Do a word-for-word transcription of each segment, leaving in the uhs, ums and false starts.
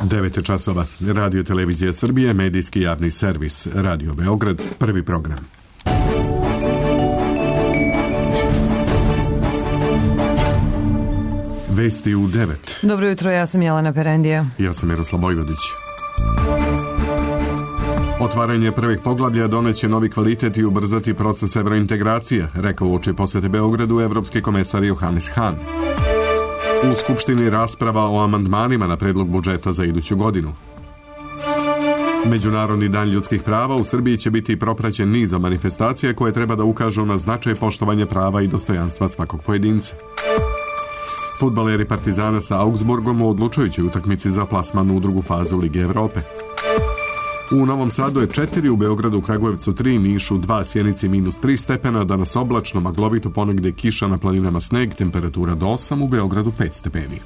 devet časova. Radio Televizija Srbije, medijski javni servis. Radio Beograd, prvi program. Vesti u devet. Dobro jutro, ja sam Jelena Perendija. Ja sam Miroslav Vojvodić. Otvaranje prvih poglavlja doneće novi kvalitet i ubrzati proces evrointegracije, rekao uoči posete Beogradu evropski komesar Johannes Hahn. U Skupštini rasprava o amandmanima na predlog budžeta za iduću godinu. Međunarodni dan ljudskih prava u Srbiji će biti propraćen nizom manifestacija koje treba da ukažu na značaj poštovanja prava i dostojanstva svakog pojedinca. Fudbaleri Partizana sa Augsburgom u odlučujućoj utakmici za plasman u drugu fazu Lige Evrope. U Novom Sadu je četiri, u Beogradu, Kragujevcu tri, Nišu dva, Sjenici minus tri stepena, danas oblačno, maglovito, ponegde kiša, na planinama sneg, temperatura do osam, u Beogradu pet stepeni.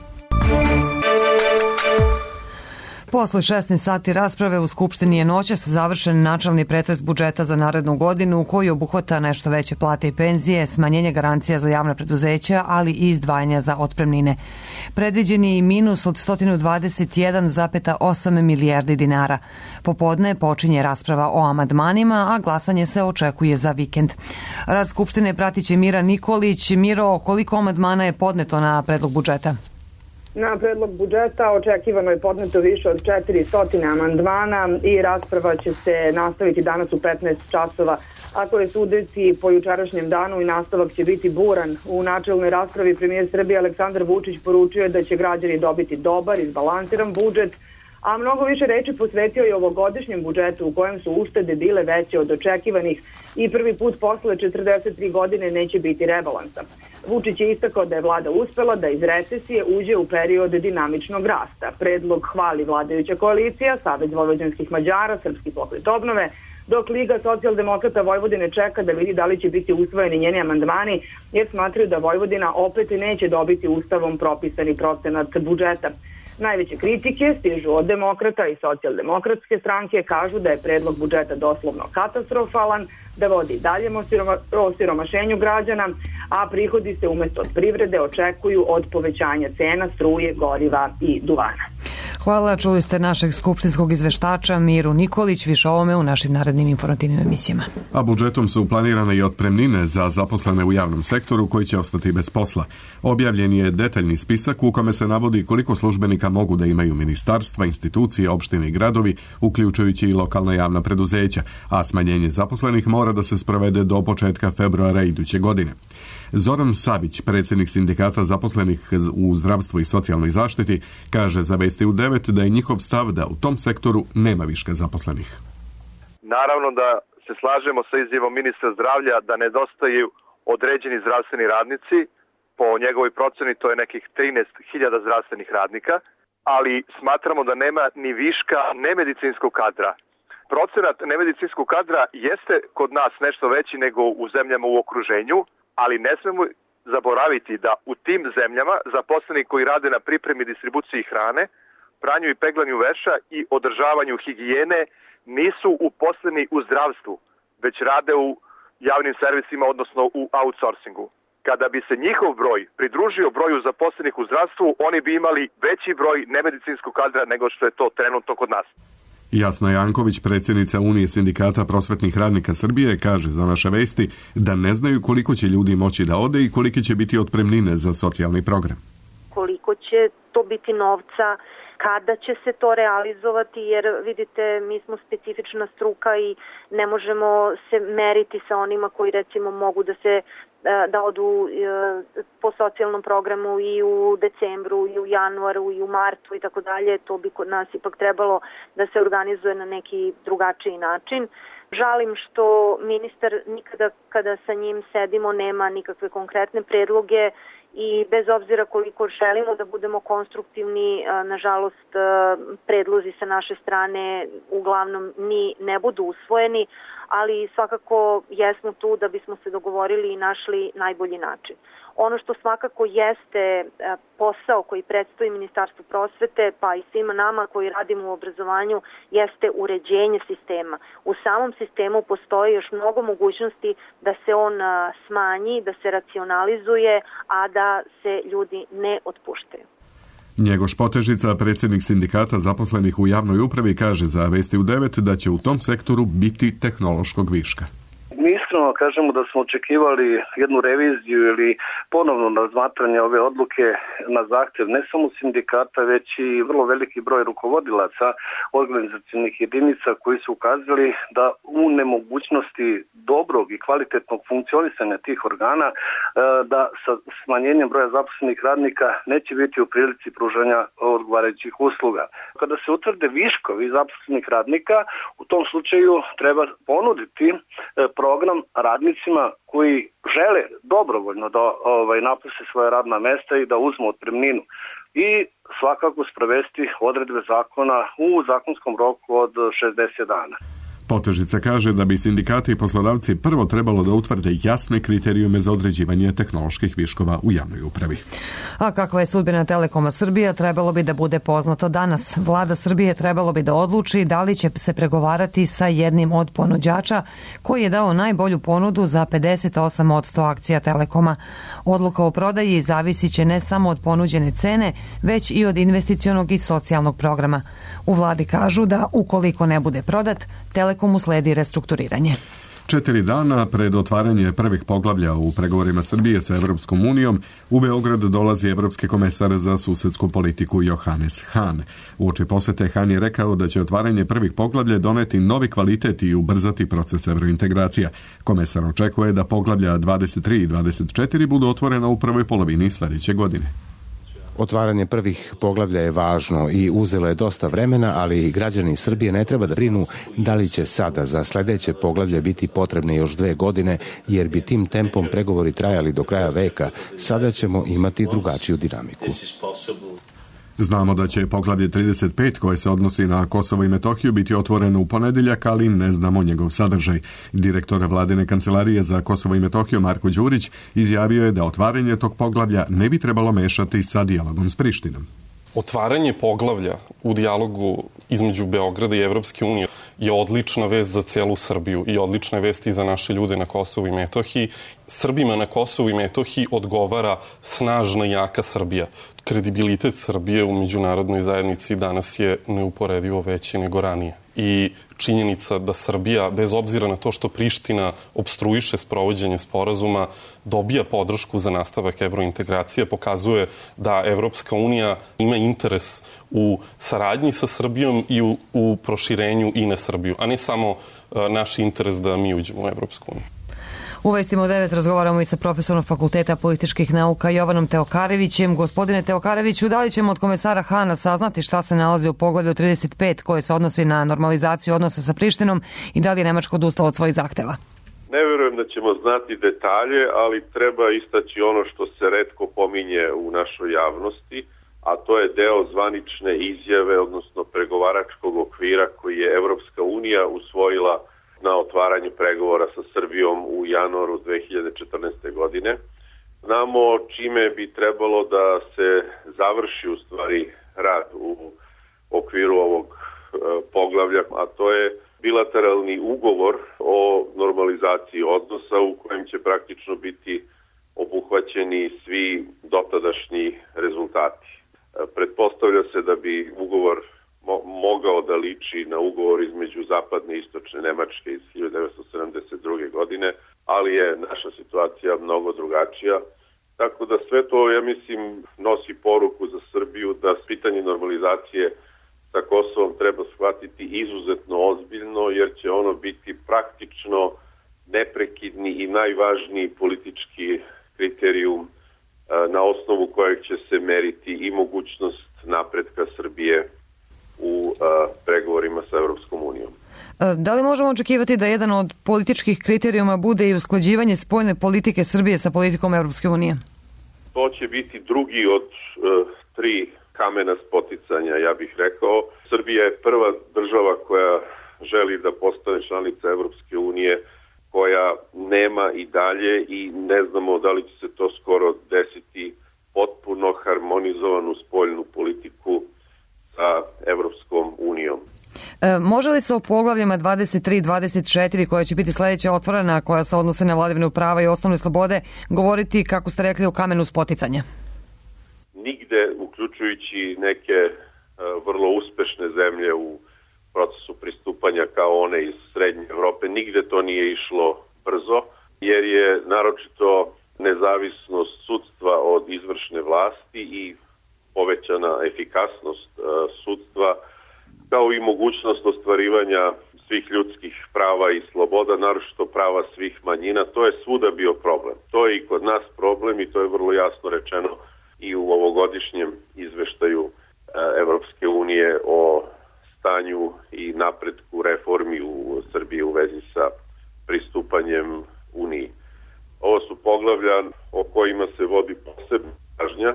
Posle šesnaest sati rasprave u Skupštini je noćas završen načelni pretres budžeta za narednu godinu koji obuhvata nešto veće plate i penzije, smanjenje garancija za javna preduzeća, ali i izdvajanja za otpremnine. Predviđen je i minus od sto dvadeset jedan zarez osam milijardi dinara. Popodne počinje rasprava o amandmanima, a glasanje se očekuje za vikend. Rad Skupštine pratit će Mira Nikolić. Miro, koliko amandmana je podneto na predlog budžeta? Na predlog budžeta očekivano je podneto više od četiristo amandmana i rasprava će se nastaviti danas u petnaest časova. Ako je sudeći po jučerašnjem danu, i nastavak će biti buran. U načelnoj raspravi premijer Srbije Aleksandar Vučić poručio je da će građani dobiti dobar, izbalansiran budžet, a mnogo više reči posvetio je ovogodišnjem budžetu u kojem su uštede bile veće od očekivanih i prvi put posle četrdeset tri godine neće biti rebalansa. Vučić je istakao da je vlada uspela da iz recesije uđe u period dinamičnog rasta. Predlog hvali vladajuća koalicija, Savez vojvođanskih Mađara, Srpski pokret obnove, dok Liga socijaldemokrata Vojvodine čeka da vidi da li će biti usvojeni njeni amandmani, jer smatraju da Vojvodina opet neće dobiti ustavom propisani procenat budžeta. Najveće kritike stižu od demokrata i socijaldemokratske stranke, kažu da je predlog budžeta doslovno katastrofalan, da vodi daljem osiromašenju građana, a prihodi se umesto od privrede očekuju od povećanja cena struje, goriva i duvana. Hvala, čuli ste našeg skupštinskog izveštača Miru Nikolić, više o ovome u našim narednim informativnim emisijama. A budžetom su planirane i otpremnine za zaposlene u javnom sektoru koji će ostati bez posla. Objavljen je detaljni spisak u kome se navodi koliko službenika mogu da imaju ministarstva, institucije, opštine i gradovi, uključujući i lokalna javna preduzeća, a smanjenje zaposlenih mora da se sprovede do početka februara iduće godine. Zoran Savić, predsjednik sindikata zaposlenih u zdravstvu i socijalnoj zaštiti, kaže za Vesti u devet da je njihov stav da u tom sektoru nema viška zaposlenih. Naravno da se slažemo sa izjavom ministra zdravlja da nedostaju određeni zdravstveni radnici. Po njegovoj proceni to je nekih trinaest hiljada zdravstvenih radnika, ali smatramo da nema ni viška nemedicinskog kadra. Procenat nemedicinskog kadra jeste kod nas nešto veći nego u zemljama u okruženju, ali ne smemo zaboraviti da u tim zemljama zaposleni koji rade na pripremi i distribuciji hrane, pranju i peglanju veša i održavanju higijene nisu uposleni u zdravstvu, već rade u javnim servisima, odnosno u outsourcingu. Kada bi se njihov broj pridružio broju zaposlenih u zdravstvu, oni bi imali veći broj nemedicinskog kadra nego što je to trenutno kod nas. Jasna Janković, predsjednica Unije sindikata prosvetnih radnika Srbije, kaže za Naše vesti da ne znaju koliko će ljudi moći da ode i kolike će biti otpremnine za socijalni program. Koliko će to biti novca, kada će se to realizovati, jer vidite, mi smo specifična struka i ne možemo se meriti sa onima koji recimo mogu da se da odu po socijalnom programu i u decembru, i u januaru, i u martu i tako dalje. To bi kod nas ipak trebalo da se organizuje na neki drugačiji način. Žalim što ministar nikada kada sa njim sedimo nema nikakve konkretne predloge i bez obzira koliko želimo da budemo konstruktivni, nažalost predlozi sa naše strane uglavnom ni ne budu usvojeni, ali svakako jesmo tu da bismo se dogovorili i našli najbolji način. Ono što svakako jeste posao koji predstoji Ministarstvu prosvete, pa i svima nama koji radimo u obrazovanju, jeste uređenje sistema. U samom sistemu postoji još mnogo mogućnosti da se on smanji, da se racionalizuje, a da se ljudi ne otpuštaju. Njegoš Potežica, predsjednik sindikata zaposlenih u javnoj upravi, kaže za Vesti u devet da će u tom sektoru biti tehnološkog viška. Mi iskreno kažemo da smo očekivali jednu reviziju ili ponovno razmatranje ove odluke na zahtjev ne samo sindikata, već i vrlo veliki broj rukovodilaca organizacionih jedinica koji su ukazali da u nemogućnosti dobrog i kvalitetnog funkcionisanja tih organa, da sa smanjenjem broja zaposlenih radnika neće biti u prilici pružanja odgovarajućih usluga. Kada se utvrde viškovi zaposlenih radnika, u tom slučaju treba ponuditi program radnicima koji žele dobrovoljno da ovaj, napuste svoje radna mesta i da uzmu otpremninu i svakako sprovesti odredbe zakona u zakonskom roku od šezdeset dana. Potežica kaže da bi sindikati i poslodavci prvo trebalo da utvrde jasne kriterijume za određivanje tehnoloških viškova u javnoj upravi. A kakva je sudbina Telekoma Srbija trebalo bi da bude poznato danas. Vlada Srbije trebalo bi da odluči da li će se pregovarati sa jednim od ponuđača koji je dao najbolju ponudu za pedeset osam posto akcija Telekoma. Odluka o prodaji zavisit će ne samo od ponuđene cene, već i od investicionog i socijalnog programa. U vladi kažu da ukoliko ne bude prodat, Telekomu sledi restrukturiranje. Četiri dana pred otvaranje prvih poglavlja u pregovorima Srbije sa Evropskom unijom, u Beograd dolazi evropski komesar za susedsku politiku Johannes Hahn. Uoči posete Hahn je rekao da će otvaranje prvih poglavlja doneti novi kvalitet i ubrzati proces evrointegracija. Komesar očekuje da poglavlja dvadeset tri i dvadeset četiri budu otvorena u prvoj polovini sljedeće godine. Otvaranje prvih poglavlja je važno i uzelo je dosta vremena, ali građani Srbije ne treba da brinu da li će sada za sljedeće poglavlje biti potrebne još dve godine, jer bi tim tempom pregovori trajali do kraja veka. Sada ćemo imati drugačiju dinamiku. Znamo da će poglavlje trideset pet koje se odnosi na Kosovo i Metohiju biti otvoreno u ponedjeljak, ali ne znamo njegov sadržaj. Direktor vladine kancelarije za Kosovo i Metohiju Marko Đurić izjavio je da otvaranje tog poglavlja ne bi trebalo mešati sa dijalogom s Prištinom. Otvaranje poglavlja u dijalogu između Beograda i Evropske unije je odlična vest za celu Srbiju i odlična vest i za naše ljude na Kosovu i Metohiji. Srbima na Kosovu i Metohiji odgovara snažna i jaka Srbija. Kredibilitet Srbije u međunarodnoj zajednici danas je neuporedivo veći nego ranije. I činjenica da Srbija, bez obzira na to što Priština obstruiše sprovođenje sporazuma, dobija podršku za nastavak evrointegracije, pokazuje da Evropska unija ima interes u saradnji sa Srbijom i u, u proširenju i na Srbiju, a ne samo a, naš interes da mi uđemo u Evropsku uniju. U Vestima u devet razgovaramo i sa profesorom Fakulteta političkih nauka Jovanom Teokarevićem. Gospodine Teokareviću, da li ćemo od komesara Hana saznati šta se nalazi u poglavlju trideset pet koje se odnosi na normalizaciju odnosa sa Prištinom i da li je Nemačka odustala od svojih zahteva? Ne verujem da ćemo znati detalje, ali treba istaći ono što se retko pominje u našoj javnosti, a to je deo zvanične izjave, odnosno pregovaračkog okvira koji je Evropska unija usvojila na otvaranju pregovora sa Srbijom u januaru dve hiljade četrnaeste. godine. Znamo čime bi trebalo da se završi u stvari rad u okviru ovog e, poglavlja, a to je bilateralni ugovor o normalizaciji odnosa u kojem će praktično biti obuhvaćeni svi dotadašnji rezultati. E, pretpostavlja se da bi ugovor mogao da liči na ugovor između zapadne i istočne Nemačke iz hiljade devetsto sedamdeset druge. godine, ali je naša situacija mnogo drugačija. Tako da sve to, ja mislim, nosi poruku za Srbiju da pitanje normalizacije sa Kosovom treba shvatiti izuzetno ozbiljno, jer će ono biti praktično neprekidni i najvažniji politički kriterijum na osnovu kojeg će se meriti i mogućnost napretka Srbije u a, pregovorima sa Evropskom unijom. Da li možemo očekivati da jedan od političkih kriterijuma bude i usklađivanje spoljne politike Srbije sa politikom Evropske unije? To će biti drugi od uh, tri kamena spoticanja, ja bih rekao. Srbija je prva država koja želi da postane članica Evropske unije, koja nema i dalje i ne znamo da li će se to skoro desiti potpuno harmonizovanu spoljnu politiku sa Evropskom unijom. E, može li se o poglavljama dvadeset tri i dvadeset četiri koja će biti sljedeća otvorena, koja se odnose na vladavinu prava i osnovne slobode, govoriti, kako ste rekli, o kamenu spoticanja? nigde, uključujući neke vrlo uspešne zemlje u procesu pristupanja kao one iz Srednje Evrope, nigde to nije išlo brzo, jer je naročito nezavisnost sudstva od izvršne vlasti i povećana efikasnost sudstva, kao i mogućnost ostvarivanja svih ljudskih prava i sloboda, naročito prava svih manjina. To je svuda bio problem. To je i kod nas problem i to je vrlo jasno rečeno i u ovogodišnjem izveštaju Evropske unije o stanju i napretku reformi u Srbiji u vezi sa pristupanjem Uniji. Ovo su poglavlja o kojima se vodi posebna pažnja,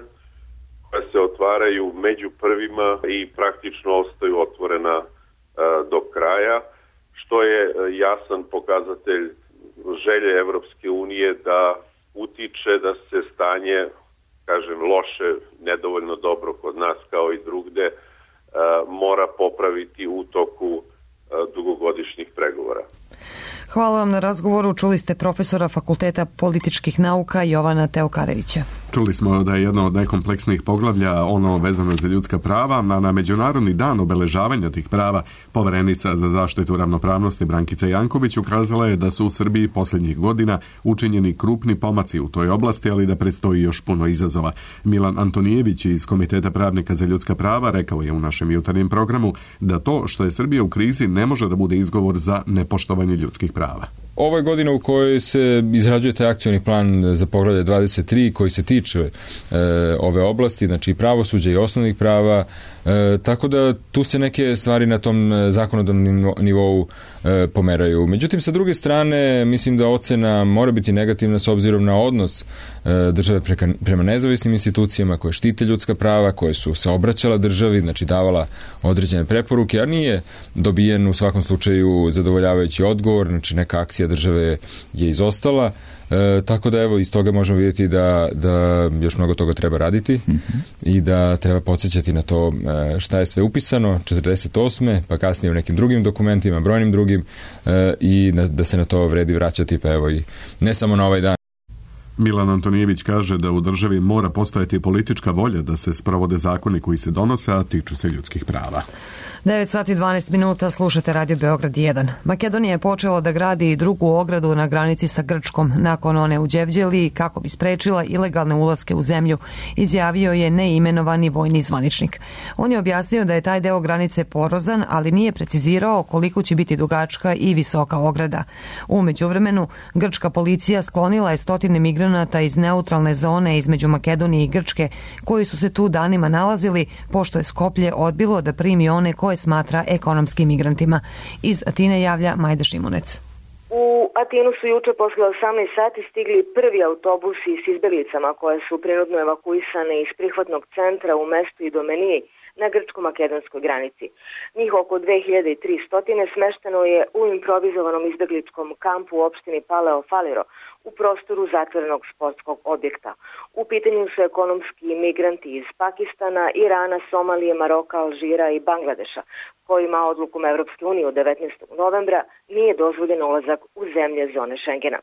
koja se otvaraju među prvima i praktično ostaju otvorena do kraja, što je jasan pokazatelj želje Evropske unije da utiče da se stanje, kažem, loše, nedovoljno dobro kod nas kao i drugde, mora popraviti u toku dugogodišnjih pregovora. Hvala vam na razgovoru. Čuli ste profesora Fakulteta političkih nauka Jovana Teokarevića. Čuli smo da je jedno od najkompleksnijih poglavlja ono vezano za ljudska prava, a na Međunarodni dan obeležavanja tih prava poverenica za zaštitu ravnopravnosti Brankica Janković ukazala je da su u Srbiji posljednjih godina učinjeni krupni pomaci u toj oblasti, ali da predstoji još puno izazova. Milan Antonijević iz Komiteta pravnika za ljudska prava rekao je u našem jutarnjem programu da to što je Srbija u krizi ne može da bude izgovor za nepoštovanje ljudskih prava. Ovo je godina u kojoj se izrađuje taj akcioni plan za poglavlje dvadeset tri koji se tiče e, ove oblasti, znači i pravosuđa i osnovnih prava, e, tako da tu se neke stvari na tom zakonodavnom nivou e, pomeraju. Međutim, sa druge strane, mislim da ocena mora biti negativna s obzirom na odnos e, države preka, prema nezavisnim institucijama koje štite ljudska prava, koje su se obraćala državi, znači davala određene preporuke, a nije dobijen u svakom slučaju zadovoljavajući odgovor, znači neka akcija države je izostala, e, tako da evo iz toga možemo vidjeti da, da još mnogo toga treba raditi mm-hmm. i da treba podsjećati na to e, šta je sve upisano četrdeset osme pa kasnije u nekim drugim dokumentima, brojnim drugim e, i na, da se na to vredi vraćati, pa evo i ne samo na ovaj dan. Milan Antonijević kaže da u državi mora postojati politička volja da se sprovode zakoni koji se donose, a tiču se ljudskih prava. devet sati i dvanaest minuta, slušate Radio Beograd jedan. Makedonija je počela da gradi drugu ogradu na granici sa Grčkom nakon one u Đevđeliji kako bi sprečila ilegalne ulaske u zemlju, izjavio je neimenovani vojni zvaničnik. On je objasnio da je taj deo granice porozan, ali nije precizirao koliko će biti dugačka i visoka ograda. U međuvremenu, grčka policija sklonila je stotine migranata iz neutralne zone između Makedonije i Grčke, koji su se tu danima nalazili, pošto je Skoplje odbilo da primi one koje smatra ekonomskim migrantima. Iz Atine javlja Majda Šimunec. U Atinu su juče posle osamnaest sati stigli prvi autobusi s izbeglicama koje su prinudno evakuisane iz prihvatnog centra u mestu Idomeniji na grčko-makedonskoj granici. Njih oko dve hiljade tristo smešteno je u improvizovanom izbegličkom kampu u opštini Paleo Faliro u prostoru zatvorenog sportskog objekta. U pitanju su ekonomski migranti iz Pakistana, Irana, Somalije, Maroka, Alžira i Bangladeša, kojima odlukom Evropske unije od devetnaestog novembra nije dozvoljen ulazak u zemlje zone Šengena.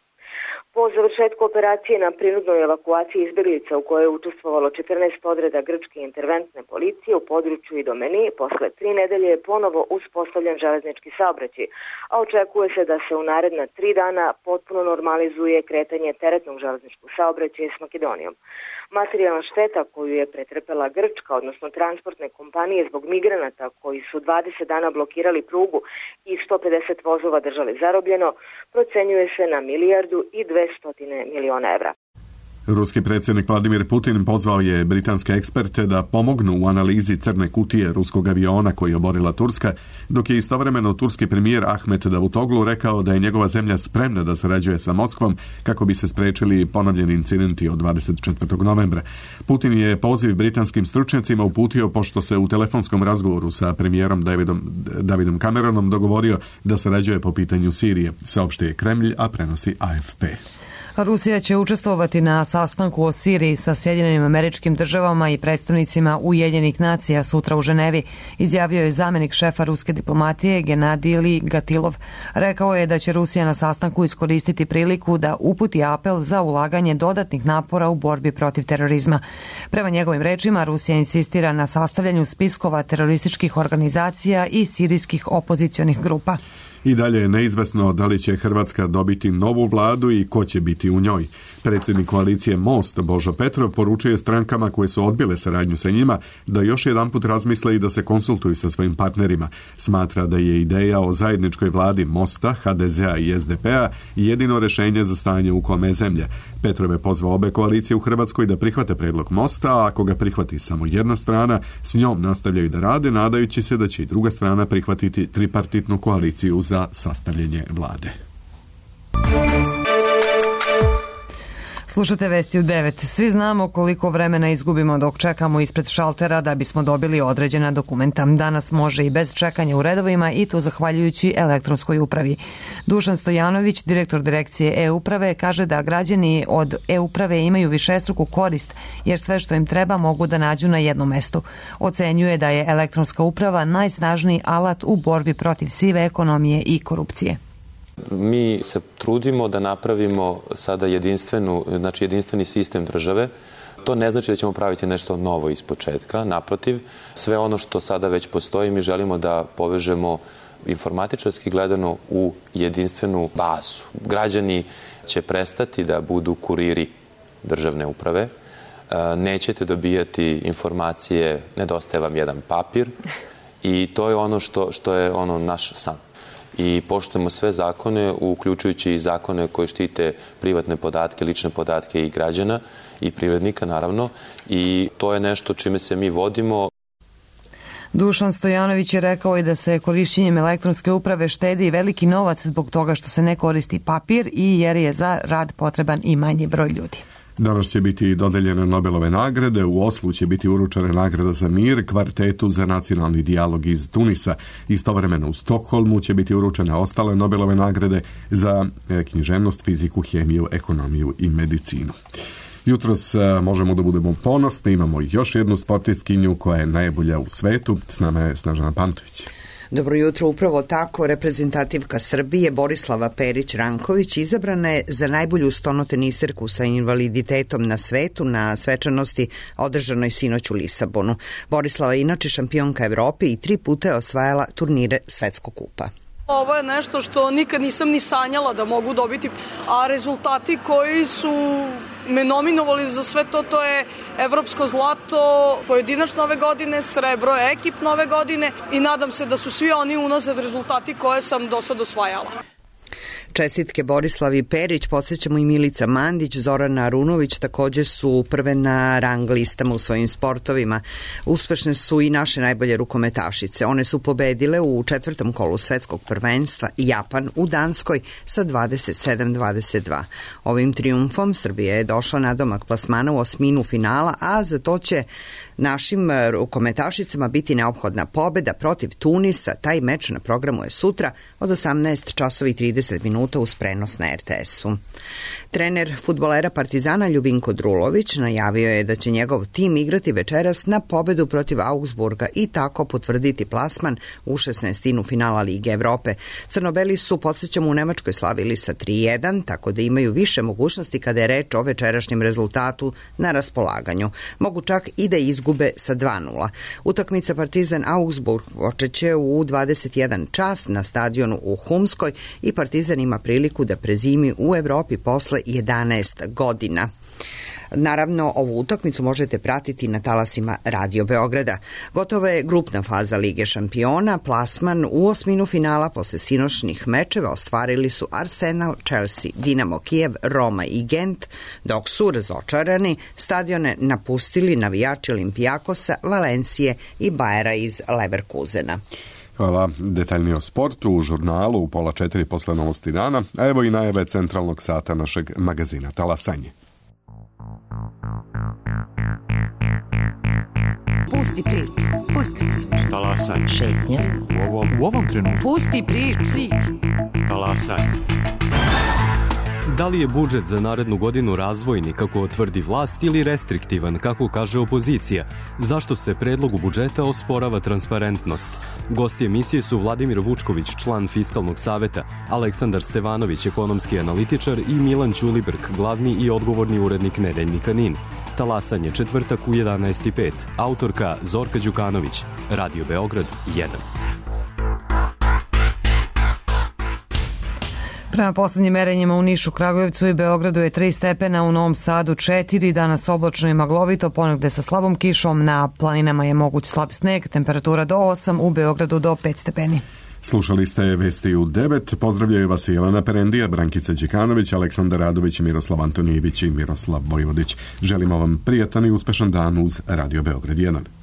Po završetku operacije na prinudnoj evakuaciji izbeglica u kojoj je učestvovalo četrnaest odreda grčke interventne policije u području Idomeniji, posle tri nedelje je ponovo uspostavljen železnički saobraćaj, a očekuje se da se u naredna tri dana potpuno normalizuje kretanje teretnog železničkog saobraćaja s Makedonijom. Materijalna šteta koju je pretrpela Grčka, odnosno transportne kompanije zbog migranata koji su dvadeset dana blokirali prugu i sto pedeset vozova držali zarobljeno, procenjuje se na milijardu i dvesta miliona evra. Ruski predsjednik Vladimir Putin pozvao je britanske eksperte da pomognu u analizi crne kutije ruskog aviona koji je oborila Turska, dok je istovremeno turski premijer Ahmet Davutoglu rekao da je njegova zemlja spremna da sarađuje sa Moskvom kako bi se sprečili ponovljeni incidenti od dvadeset četvrtog novembra. Putin je poziv britanskim stručnjacima uputio pošto se u telefonskom razgovoru sa premijerom Davidom, Davidom Cameronom dogovorio da sarađuje po pitanju Sirije, saopštio je Kremlj, a prenosi A F P. Rusija će učestvovati na sastanku o Siriji sa Sjedinjenim Američkim Državama i predstavnicima Ujedinjenih nacija sutra u Ženevi, izjavio je zamenik šefa ruske diplomatije Genadili Gatilov. Rekao je da će Rusija na sastanku iskoristiti priliku da uputi apel za ulaganje dodatnih napora u borbi protiv terorizma. Prema njegovim rečima, Rusija insistira na sastavljanju spiskova terorističkih organizacija i sirijskih opozicionih grupa. I dalje je neizvesno da li će Hrvatska dobiti novu vladu i ko će biti u njoj. Predsjednik koalicije Most Božo Petrov poručuje strankama koje su odbile saradnju sa njima da još jedanput razmisle i da se konsultuju sa svojim partnerima. Smatra da je ideja o zajedničkoj vladi Mosta, ha de zea i es de pe-a jedino rješenje za stanje u kome zemlje. Petrov je pozvao obe koalicije u Hrvatskoj da prihvate predlog Mosta, a ako ga prihvati samo jedna strana, s njom nastavljaju da rade, nadajući se da će i druga strana prihvatiti tripartitnu koaliciju za sastavljanje vlade. Slušate vesti u devet. Svi znamo koliko vremena izgubimo dok čekamo ispred šaltera da bismo dobili određena dokumenta. Danas može i bez čekanja u redovima i to zahvaljujući elektronskoj upravi. Dušan Stojanović, direktor direkcije e-uprave, kaže da građani od e-uprave imaju višestruku korist jer sve što im treba mogu da nađu na jednom mestu. Ocenjuje da je elektronska uprava najsnažniji alat u borbi protiv sive ekonomije i korupcije. Mi se trudimo da napravimo sada jedinstvenu, znači jedinstveni sistem države. To ne znači da ćemo praviti nešto novo iz početka, naprotiv, sve ono što sada već postoji mi želimo da povežemo informatičarski gledano u jedinstvenu bazu. Građani će prestati da budu kuriri državne uprave, nećete dobijati informacije, nedostaje vam jedan papir i to je ono što, što je ono naš san. I poštujemo sve zakone, uključujući i zakone koji štite privatne podatke, lične podatke i građana i privrednika naravno i to je nešto čime se mi vodimo. Dušan Stojanović je rekao i da se korišćenjem elektronske uprave štedi veliki novac zbog toga što se ne koristi papir i jer je za rad potreban i manji broj ljudi. Danas će biti dodeljene Nobelove nagrade, u Oslu će biti uručena nagrada za mir kvartetu za nacionalni dijalog iz Tunisa. Istovremeno u Stokholmu će biti uručene ostale Nobelove nagrade za književnost, fiziku, hemiju, ekonomiju i medicinu. Jutros možemo da budemo ponosni, imamo još jednu sportistkinju koja je najbolja u svetu. S nama je Snežana Pantović. Dobro jutro, upravo tako reprezentativka Srbije Borislava Perić-Ranković izabrana je za najbolju stonoteniserku sa invaliditetom na svetu na svečanosti održanoj sinoć u Lisabonu. Borislava je inače šampionka Evrope i tri puta je osvajala turnire Svetskog kupa. Ovo je nešto što nikad nisam ni sanjala da mogu dobiti, a rezultati koji su me nominovali za sve to, to je evropsko zlato pojedinačno ove godine, srebro ekipno ove godine i nadam se da su svi oni unazad rezultati koje sam do sad osvajala. Čestitke Borislavi Perić, podsjećamo i Milica Mandić, Zorana Arunović također su prve na rang listama u svojim sportovima. Uspešne su i naše najbolje rukometašice. One su pobedile u četvrtom kolu svetskog prvenstva Japan u Danskoj sa dvadeset sedam dvadeset dva. Ovim trijumfom Srbija je došla na domak plasmana u osminu finala, a za to će našim rukometašicama biti neophodna pobeda protiv Tunisa. Taj meč na programu je sutra od osamnaest časova i trideset minuta uz prenos na er te esu. Trener fudbalera Partizana Ljubinko Drulović najavio je da će njegov tim igrati večeras na pobedu protiv Augsburga i tako potvrditi plasman u šesnaestinu finala Lige Evrope. Crnobeli su, podsjećamo, u Nemačkoj slavili sa tri jedan, tako da imaju više mogućnosti kada je reč o večerašnjem rezultatu na raspolaganju. Mogu čak i da izgube sa dva nula. Utakmica Partizan Augsburg počeće u dvadeset jedan čas na stadionu u Humskoj i Partizan ima priliku da prezimi u Evropi posle jedanaest godina. Naravno, ovu utakmicu možete pratiti na talasima Radio Beograda. Gotova je grupna faza Lige šampiona. Plasman u osminu finala posle sinoćnih mečeva ostvarili su Arsenal, Chelsea, Dinamo Kijev, Roma i Gent, dok su razočarani stadione napustili navijači Olimpijakosa, Valencije i Bajera iz Leverkusena. Hvala. Detaljnije o sportu u žurnalu u pola četiri posle novosti dana, a evo i najave centralnog sata našeg magazina Talasanje. Pusti priču, pusti priču. Talasanje. Šetnja. U ovom, u ovom trenutku. Pusti priču. Talasanje. Da li je budžet za narednu godinu razvojni, kako tvrdi vlast, ili restriktivan, kako kaže opozicija? Zašto se predlogu budžeta osporava transparentnost? Gosti emisije su Vladimir Vučković, član Fiskalnog saveta, Aleksandar Stevanović, ekonomski analitičar, i Milan Ćulibrk, glavni i odgovorni urednik Nedeljnika Nin. Talasanje četvrtak u jedanaest i pet. Autorka Zorka Đukanović. Radio Beograd jedan. Prema poslednjim merenjima u Nišu, Kragujevcu i Beogradu je tri stepena, u Novom Sadu četiri, danas oblačno i maglovito, ponegde sa slabom kišom, na planinama je moguć slab sneg, temperatura do osam, u Beogradu do pet stepeni. Slušali ste vesti u devet, pozdravljaju vas Jelena Perendija, Brankica Đekanović, Aleksandar Radović, Miroslav Antonijević i Miroslav Vojvodić. Želimo vam prijatan i uspešan dan uz Radio Beograd jedan.